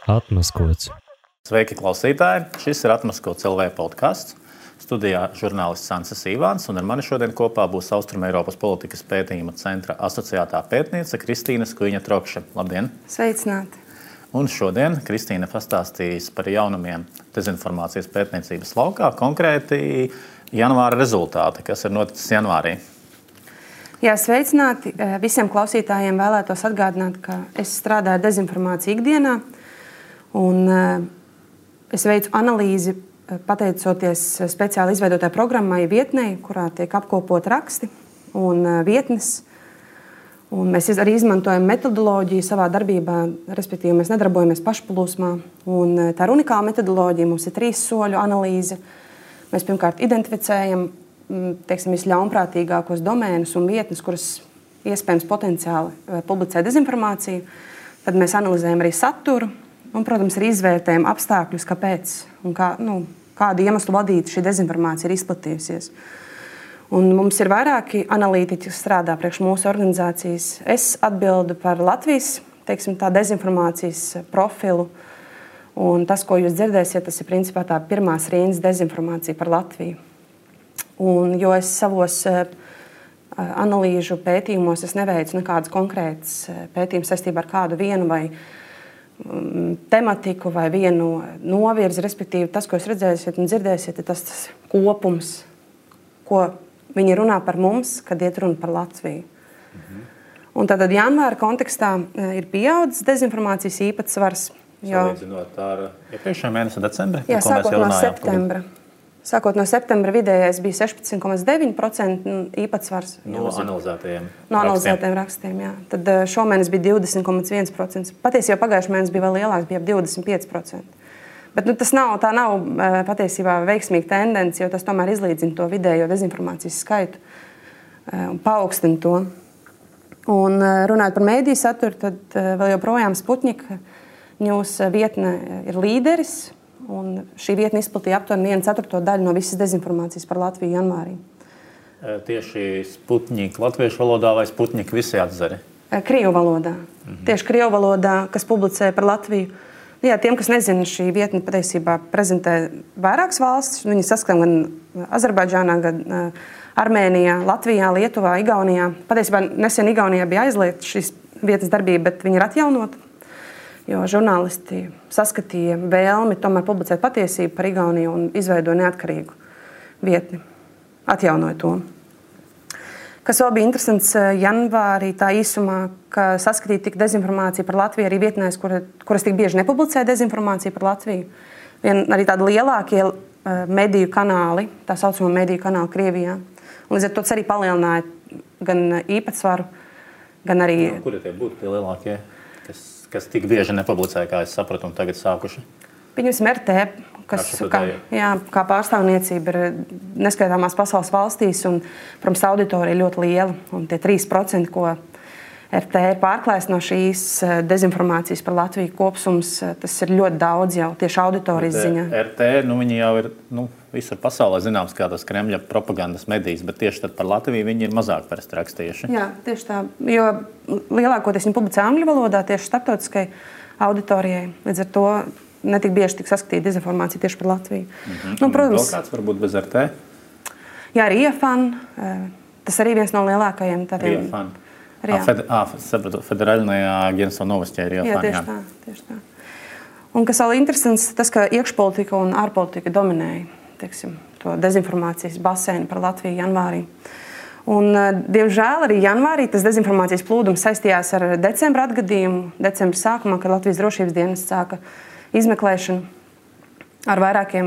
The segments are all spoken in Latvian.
Atmaskots. Sveiki, klausītāji! Šis ir Atmaskots LV podcasts. Studijā žurnālists Sansis Ivāns, un ar mani šodien kopā būs Austrumeiropas politikas pētījuma centra asociētā pētniece Kristīna Skuiņa-Trokša. Labdien! Sveicināti! Un šodien Kristīna pastāstīs par jaunumiem dezinformācijas pētniecības laukā, konkrēti janvāra rezultāti, kas ir noticis janvārī. Jā, sveicināti! Visiem klausītājiem vēlētos atgādināt, ka es strādāju dezinformāciju ikdienā, un es veicu analīzi pateicoties speciāli izveidotai programmai vietnei, kurā tiek apkopot raksti un vietnes. Un mēs arī izmantojam metodoloģiju savā darbībā, respektīvi mēs nedarbojamies pašplūsmā. Un tā ir unikāla metodoloģija, mums ir 3 soļu analīze. Mēs pirmkārt identificējam visļaunprātīgākos domēnus un vietnes, kuras iespējams potenciāli publicē dezinformāciju. Tad mēs analizējam arī saturu un, protams, arī izvērtējam apstākļus, kāpēc un kādu iemeslu vadīta šī dezinformācija ir izplatījusies. Un mums ir vairāki analītiķi, kas strādā priekš mūsu organizācijas. Es atbildu par Latvijas dezinformācijas profilu. Un tas, ko jūs dzirdēsiet, tas ir principā tā pirmās rindas dezinformācija par Latviju. Un, jo es savos analīžu pētījumos neveicu nekādas konkrētas pētījumus saistībā ar kādu vienu vai tematiku vai vienu novirzi, respektīvi tas, ko jūs redzēsiet un dzirdēsiet, ir tas kopums, ko viņi runā par mums, kad iet runa par Latviju. Un tātad janvāra kontekstā ir pieaudzis dezinformācijas īpatsvars. Salīdzinot ar iepriekšējā mēnesa decembri? Jā, sākot no septembra vidējais bija 16,9% īpatsvars. No analizētajiem rakstiem, jā. Tad šomēnes bija 20,1%. Patiesībā pagājušajā mēnesī bija vēl lielāks, bija ap 25%. Bet tā nav patiesībā veiksmīga tendence, jo tas tomēr izlīdzina to vidējo dezinformācijas skaitu un paaugstina to. Un runājot par mēdīju saturu, tad vēl joprojām Sputnika News vietne ir līderis, un šī vietne izplatīja aptuveni 1/4 daļu no visas dezinformācijas par Latviju janvārī. Tieši Sputnika latviešu valodā vai Sputnika visi atzari? Krievu valodā. Tieši krievu valodā, kas publicē par Latviju. Jā, tiem, kas nezina, šī vietne patiesībā prezentē vairākas valstis. Viņi saskan gan Azerbaidžānā, gan Armēnijā, Latvijā, Lietuvā, Igaunijā. Patiesībā nesen Igaunijā bija aizliegta šīs vietnes darbība, bet viņi ir atjaunota. Jo žurnālisti saskatīja vēlmi tomēr publicēt patiesību par Igauniju un izveidoja neatkarīgu vietni. Atjaunoja to. Kas vēl bija interesants janvārī tā īsumā, ka saskatīja tik dezinformāciju par Latviju arī vietnēs, kuras tik bieži nepublicē dezinformāciju par Latviju. Arī tādi lielākie mediju kanāli, tā saucamo mediju kanāli Krievijā. Un līdz ar to tas arī palielināja gan īpatsvaru, gan arī... Kuri tie būtu tie lielākie, kas tik bieži nepublicē, kā es sapratu, un tagad sākuši? Pieņemsim RT, kas kā pārstāvniecība ir neskaitāmās pasaules valstīs, un, protams, auditorija ļoti liela. Un tie 3%, ko RT ir pārklājis no šīs dezinformācijas par Latviju kopsums, tas ir ļoti daudz jau tieši auditorijas ziņā. RT, viņi jau ir visur pasaulē zināms kā tas Kremļa propagandas medijas, bet tieši tad par Latviju viņi ir mazāk parasti rakstījuši. Jā, tieši tā, jo lielākoties viņi publicē angļu valodā tieši starptautiskai auditorijai. Līdz ar to netik bieži tik saskatīta dezinformācija tieši par Latviju. Protams, vēl kāds varbūt bez RT? Jā, arī IFAN. Tas arī viens no lielākajiem tādiem. IFAN. Federālajā agentūra Novostē ir IFAN. Jā, tieši tā. Un kas vēl interesants, tas, ka iekšpolitika un ārpolitika dominēja, to dezinformācijas basēnu par Latviju janvārī. Un, diemžēl, arī janvārī tas dezinformācijas plūdums saistījās ar decembra atgadījumu. Decembra sākumā, kad Latvijas drošības dienas sāka izmeklēšanu ar vairākiem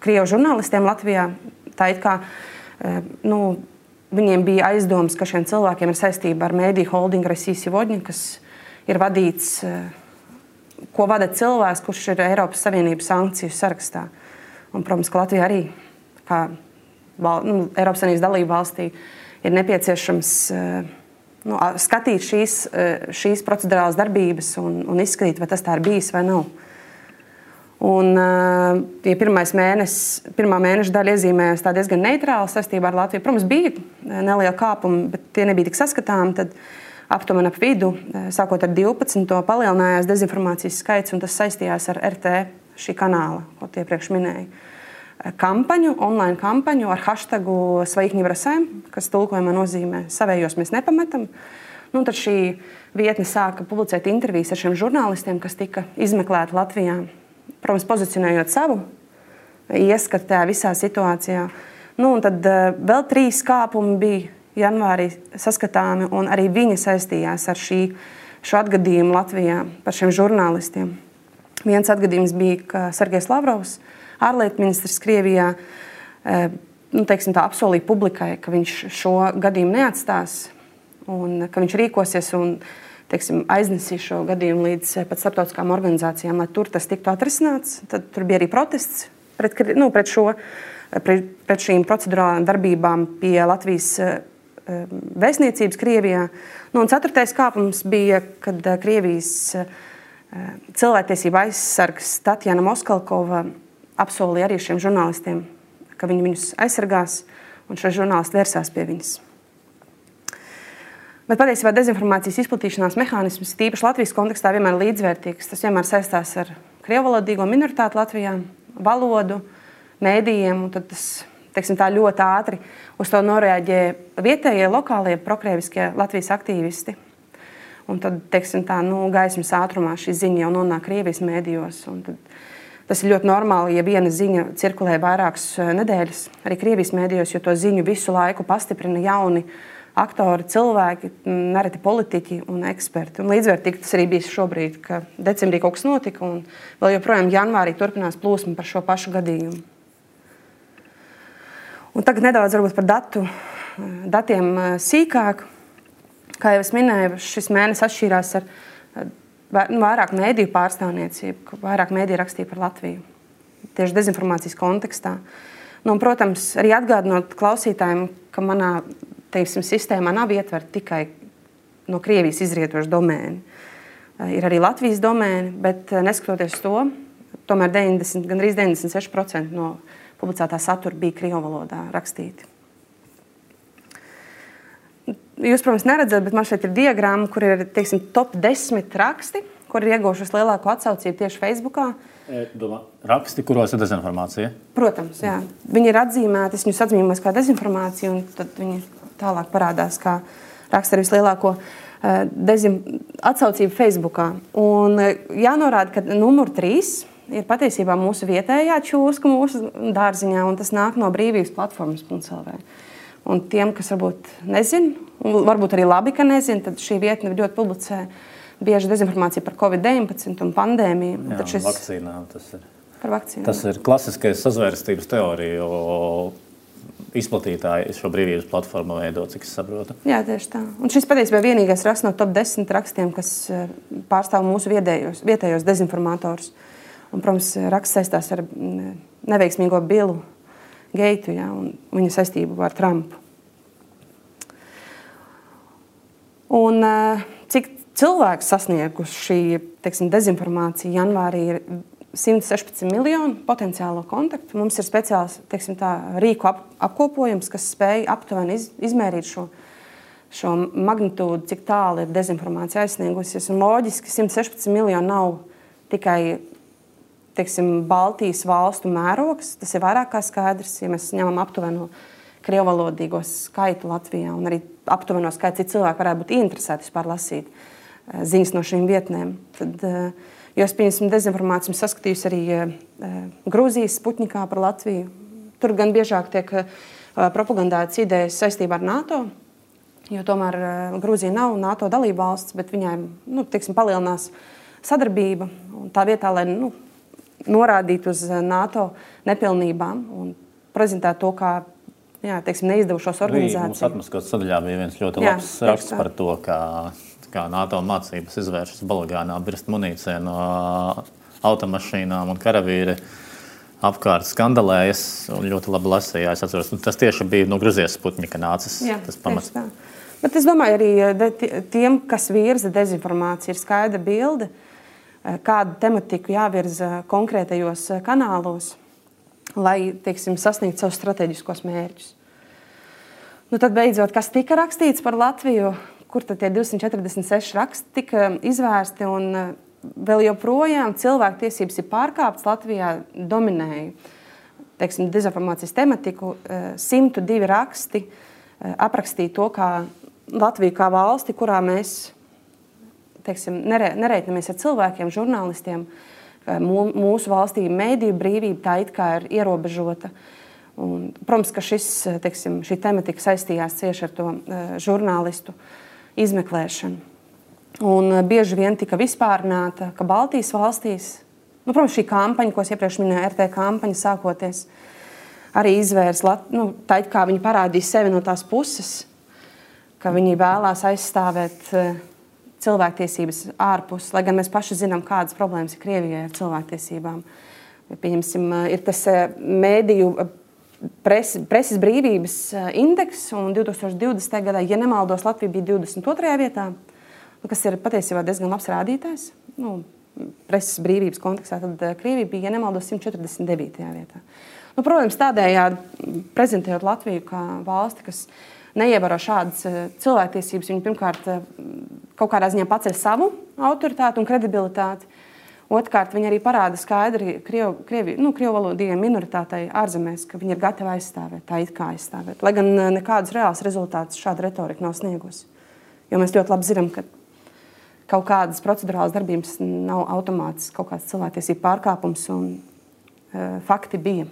krievu žurnālistiem Latvijā. Tā it kā, viņiem bija aizdomas, ka šiem cilvēkiem ir saistība ar mēdīju holdingu Россия сегодня, kas ir vadīts, ko vada cilvēks, kurš ir Eiropas Savienības sankciju sarakstā. Un, protams, ka Latvija arī, kā Eiropas Savienības dalība valstī, ir nepieciešams skatīt šīs procedurālās darbības un izskatīt, vai tas tā ir bijis vai nav. Un, ja pirmā mēneša daļa iezīmējās tā diezgan neitrāli saistībā ar Latviju, protams, bija neliela kāpuma, bet tie nebija tik saskatāmi, tad aptuveni ap vidu, sākot ar 12. palielinājās dezinformācijas skaits, un tas saistījās ar RT šī kanāla, ko iepriekš minēju. Online kampaņu ar hashtagu «Своих не бросаем», kas tulkojumā nozīmē «savējos mēs nepametam». Nu, tad šī vietne sāka publicēt intervijas ar šiem žurnālistiem, kas tika izmeklēti Latvijā, protams, pozicionējot savu ieskatu tajā visā situācijā. Nu, un tad vēl 3 kāpumi bija janvārī saskatāmi, un arī viņi saistījās ar šo atgadījumu Latvijā par šiem žurnālistiem. Viens atgadījums bija, ka Sergejs Lavrovs, ārlietu ministrs Krievijā, apsolīja publikai, ka viņš šo gadījumu neatstās un ka viņš rīkosies un aiznesīs šo gadījumu līdz pat starptautiskām organizācijām, lai tur tas tiktu atrisināts. Tad tur bija arī protests pret šīm procedurālām darbībām pie Latvijas vēstniecības Krievijā. Nu, un 4. kāpums bija, kad Krievijas cilvēktiesība aizsargs Tatjana Moskalkova apsolīja arī šiem žurnālistiem, ka viņi viņus aizsargās, un šie žurnālisti vērsās pie viņas. Bet patiesībā dezinformācijas izplatīšanās mehānisms, tīpaši Latvijas kontekstā, vienmēr līdzvērtīgs. Tas vienmēr saistās ar krievvalodīgo minoritāti Latvijā, valodu, mēdījiem, un tad tas, tā ļoti ātri uz to noreaģē vietējie, lokālie, prokrieviskie Latvijas aktīvisti. Un tad, gaismas ātrumā šī ziņa jau nonāk Krievijas mēdījos. Un tad tas ir ļoti normāli, ja viena ziņa cirkulē vairākas nedēļas arī Krievijas mēdījos, jo to ziņu visu laiku pastiprina jauni aktori, cilvēki, nereti politiķi un eksperti. Un līdzvērtīgi tas arī bija šobrīd, ka decembrī kaut kas notika, un vēl joprojām janvārī turpinās plūsma par šo pašu gadījumu. Un tagad nedaudz varbūt par datiem sīkāk. Kā jau es minēju, šis mēnesis atšķīrās ar vairāk mēdīju pārstāvniecību, vairāk mēdīju rakstīja par Latviju, tieši dezinformācijas kontekstā. Nu, un, protams, arī atgādinot klausītājiem, ka manā sistēmā nav ietverta tikai no Krievijas izrietoša domēni. Ir arī Latvijas domēni, bet neskatoties to, tomēr gandrīz 96% no publicētā satura bija krievu valodā rakstīti. Jūs, protams, neredzat, bet man šeit ir diagramma, kur ir, top 10 raksti, kur ir ieguvušas lielāko atsaucību tieši Facebookā. Raksti, kuros ir dezinformācija? Protams, jā. Viņi ir atzīmēti, es viņus atzīmēs kā dezinformāciju, un tad viņi tālāk parādās, kā raksta ar vislielāko atsaucību Facebookā. Un jānorāda, ka numur 3 ir patiesībā mūsu vietējā čūska mūsu dārziņā, un tas nāk no brīvības platformas.lv. Un tiem, kas varbūt nezin, un varbūt arī labi, ka nezin, tad šī vietne ļoti publicē bieži dezinformāciju par Covid-19 un pandēmiju. Jā, un vakcīnām tas ir. Par vakcīnām. Tas ir klasiskais sazvērstības teorija, izplatītāji šo brīvības platformu veido, cik es saprotu. Jā, tieši tā. Un šis patiesībā vienīgais raksts no top 10 rakstiem, kas pārstāv mūsu vietējos dezinformatorus. Un, protams, raksts saistās ar neveiksmīgo Billu Geitu, ja, un viņa saistību ar Trumpu. Un cik cilvēku sasnieguši šī, dezinformācija janvārī ir 116 miljonu potenciālo kontaktu. Mums ir speciāls, rīku apkopojums, kas spēj aptuveni izmērīt šo magnitūdu, cik tālu ir dezinformācija aizsniegusies. Un loģiski 116 miljoni nav tikai Baltijas valstu mērogs, tas ir vairāk kā skaidrs, ja mēs ņemam aptuveno krievvalodīgo skaitu Latvijā un arī aptuveno skaitu, cik cilvēki varētu būt interesēti vispār lasīt ziņas no šīm vietnēm. Tad, jo es, pieņemsim, dezinformāciju saskatījusi arī Grūzijas Sputnikā par Latviju. Tur gan biežāk tiek propagandētas idejas saistībā ar NATO, jo tomēr Grūzija nav NATO dalība valsts, bet viņai, palielinās sadarbība un tā vietā, lai, norādīt uz NATO nepilnībām un prezentēt to kā neizdevušos organizāciju. Mums atmaskotas sadaļā bija viens ļoti labs raksts par to, kā NATO mācības izvēršas balagānā, birst munīcija no automašīnām un karavīri apkārt skandalējas un ļoti labi lasīja. Es atceros, tas tieši bija no Gruzijas Sputnika nācis. Jā, tas pamats. Bet es domāju, arī tiem, kas virza dezinformāciju, ir skaidra bilde, kādu tematiku jāvirza konkrētajos kanālos, lai, sasniegtu savus strateģiskos mērķus. Tad beidzot, kas tika rakstīts par Latviju, kur tad tie 246 raksti tika izvērsti, un vēl joprojām cilvēktiesības ir pārkāptas. Latvijā dominēja, teiksim, dezinformācijas tematiku. 102 raksti aprakstīja to, kā Latviju kā valsti, kurā mēs, teiksim, nereiķinamies ar cilvēkiem, žurnālistiem. Mūsu valstī mediju brīvība tā it kā ir ierobežota. Un, protams, ka šī tematika saistījās cieši ar to žurnālistu izmeklēšanu. Un bieži vien tika vispārināta, ka Baltijas valstīs, protams, šī kampaņa, ko es iepriekš minēju, RT kampaņa sākoties, arī izvērs, tā it kā viņi parādīja sevi no tās puses, ka viņi vēlās aizstāvēt cilvēktiesības ārpus, lai gan mēs paši zinām, kādas problēmas ir Krievijai ar cilvēktiesībām. Pieņemsim, ir tas mēdīju preses brīvības indeks, un 2020. gadā, ja nemaldos, Latvija bija 22. vietā, kas ir patiesībā diezgan labs rādītājs. Preses brīvības kontekstā, tad Krievija bija, ja nemaldos, 149. vietā. Protams, tādējādi prezentējot Latviju kā valsti, kas neievēro šādas cilvēktiesības, viņi pirmkārt kaut kādā ziņā paceļ savu autoritāti un kredibilitāti. Otrkārt, viņi arī parāda skaidri krievu valodīgajai minoritātei ārzemēs, ka viņi ir gatavi aizstāvēt, tā it kā aizstāvēt. Lai gan nekādus reāls rezultātus šāda retorika nav sniegusi. Jo mēs ļoti labi zinām, ka kaut kādas procedurālas darbības nav automātisks, kaut kāds cilvēktiesību pārkāpums un fakti bija.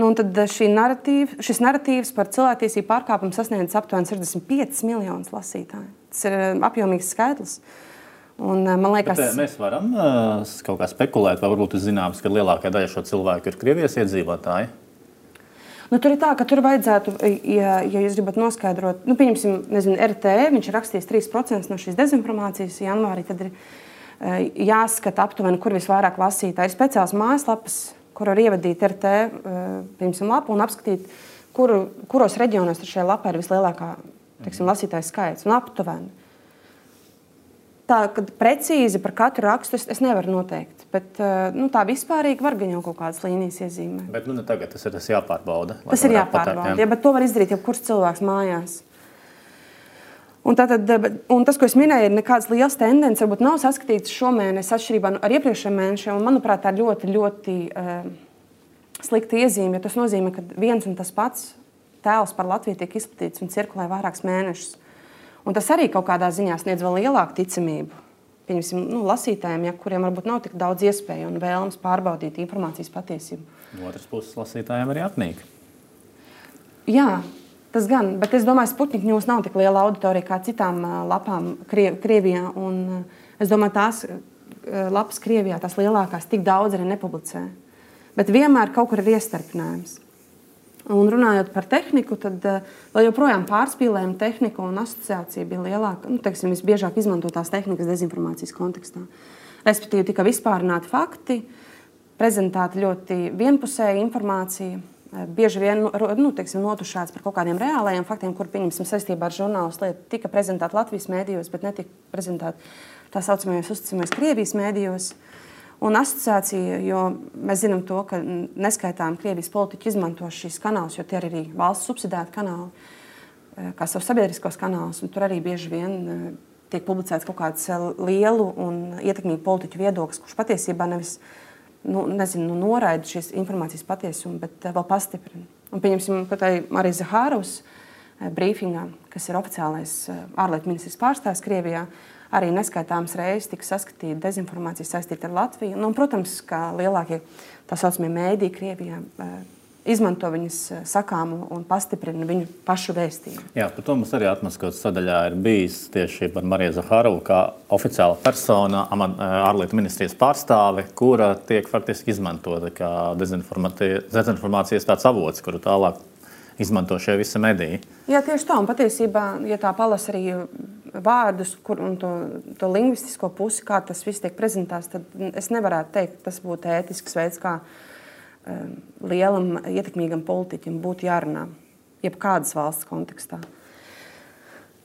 Un tad šis narratīvs par cilvēktiesību pārkāpumu sasniedz aptuveni 65 miljonus lasītāju. Tas ir apjomīgs skaitlis. Un, man liekas, mēs varam kaut kā spekulēt, vai varbūt ir zināms, ka lielākā daļa šo cilvēku ir Krievijas iedzīvotāji? Tur ir tā, ka tur vajadzētu, ja jūs gribat noskaidrot, pieņemsim, RT, viņš ir rakstījis 3% no šīs dezinformācijas janvārī, tad ir jāskata aptuveni, kur visvairāk lasītāji. Ir speciāls mājaslapas, kur var ievadīt RT, piemēram, lapu un apskatīt, kuros reģionos šajā lapā ir vislielākā, teiksim, lasītāju skaits un aptuveni. Tā, kad precīzi par katru rakstu es nevaru noteikt, bet tā vispārīgi var gan jau kaut kādas līnijas iezīmēt. Bet tagad tas ir jāpārbauda. Tas ir jāpārbauda, ja, bet to var izdarīt jebkurš cilvēks mājās. Un tas, ko es minēju, ir nekādas liels tendences, varbūt nav saskatīts šomēnes atšķirībā ar iepriekšējiem mēnešiem, un manuprāt, tā ir ļoti, ļoti slikta iezīme, jo tas nozīmē, ka viens un tas pats tēls par Latviju tiek izplatīts un cirkulē vairākus mēnešus. Un tas arī kaut kādā ziņā sniedz vēl lielāku ticamību. Pieņemsim, lasītājiem, kuriem varbūt nav tik daudz iespēju un vēlams pārbaudīt informācijas patiesību. No otras puses, lasītājiem arī apnīk. Jā, tas gan, bet es domāju, Sputnik News nav tik liela auditorija kā citām lapām Krievijā. Un es domāju, tās lapas Krievijā, tās lielākās, tik daudz arī nepublicē. Bet vienmēr kaut kur ir iestarpinājums. Un runājot par tehniku, tad vēl joprojām pārspīlējuma tehnika un asociācija bija lielāka. Teiksim, visbiežāk izmantotās tehnikas dezinformācijas kontekstā. Respektīvi, tika vispārināti fakti, prezentēta ļoti vienpusēja informācija, bieži vien notušāts par kaut kādiem reālajiem faktiem, kur, pieņemsim, saistībā ar žurnālistu lietu tika prezentēta Latvijas mēdījos, bet netika prezentēta tā saucamajos uzticamajos Krievijas mēdījos. Un asociācija, jo mēs zinām to, ka neskaitām Krievijas politiķi izmanto šīs kanālus, jo tie ir arī valsts subsidēti kanāli, kā savus sabiedriskos kanālus, un tur arī bieži vien tiek publicēts kaut kāds lielu un ietekmīgu politiķu viedoklis, kurš patiesībā nevis noraida šīs informācijas patiesumu, bet vēl pastiprina. Un pieņemsim, ka tai Marija Zaharovas brīfingā, kas ir oficiālais ārlietu ministrijas pārstāvs Krievijā, arī neskaitāmas reizes tika saskatīta dezinformācija saistīta ar Latviju. Un, protams, kā lielākie tā saucamie mēdī Krievijā izmanto viņas sakāmu un pastiprina viņu pašu vēstījumu. Jā, par to mums arī Atmaskotas sadaļā ir bijis tieši par Mariju Zaharovu kā oficiāla persona, ārlietu ministrijas pārstāve, kura tiek faktiski izmantota kā dezinformācijas tāds avots, kuru tālāk izmanto šie visi mediji. Jā, tieši tā. Un patiesībā, ja tā palasa arī vārdus un to lingvistisko pusi, kā tas viss tiek prezentēts, tad es nevarētu teikt, ka tas būtu ētisks veids, kā lielam, ietekmīgam politiķim būtu jārunā, jebkādas valsts kontekstā.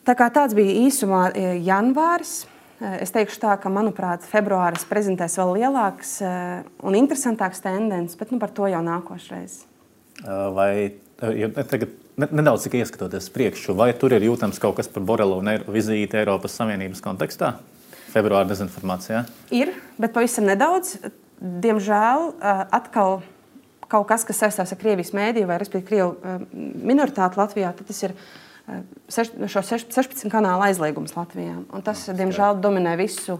Tā kā tāds bija īsumā janvāris. Es teikšu tā, ka, manuprāt, februāris prezentēs vēl lielāks un interesantāks tendences, bet par to jau nākošreiz. Vai tagad nedaudz tikai ieskatoties priekšu, vai tur ir jūtams kaut kas par Borelu un vizīti Eiropas Savienības kontekstā? Februāra dezinformācijā? Ir, bet pavisam nedaudz. Diemžēl atkal kaut kas, kas saistās ar Krievijas mēdīju vai, respektīvi, Krievu minoritāti Latvijā, tad tas ir šo 16 kanālu aizliegums Latvijā. Un tas, diemžēl, dominē visu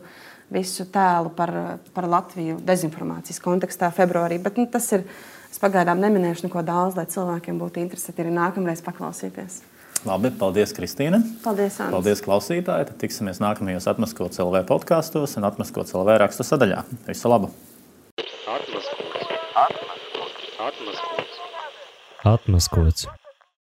tēlu par Latviju dezinformācijas kontekstā februārī. Bet tas ir, es pagaidām neminēšu neko daudz, lai cilvēkiem būtu interesēti arī nākamreiz paklausīties. Labi, paldies, Kristīne. Paldies, Ants. Paldies, klausītāji. Tad tiksimies nākamajos Atmaskots LV podkastos un Atmaskots LV rakstu sadaļā. Visu labu! Atmaskots.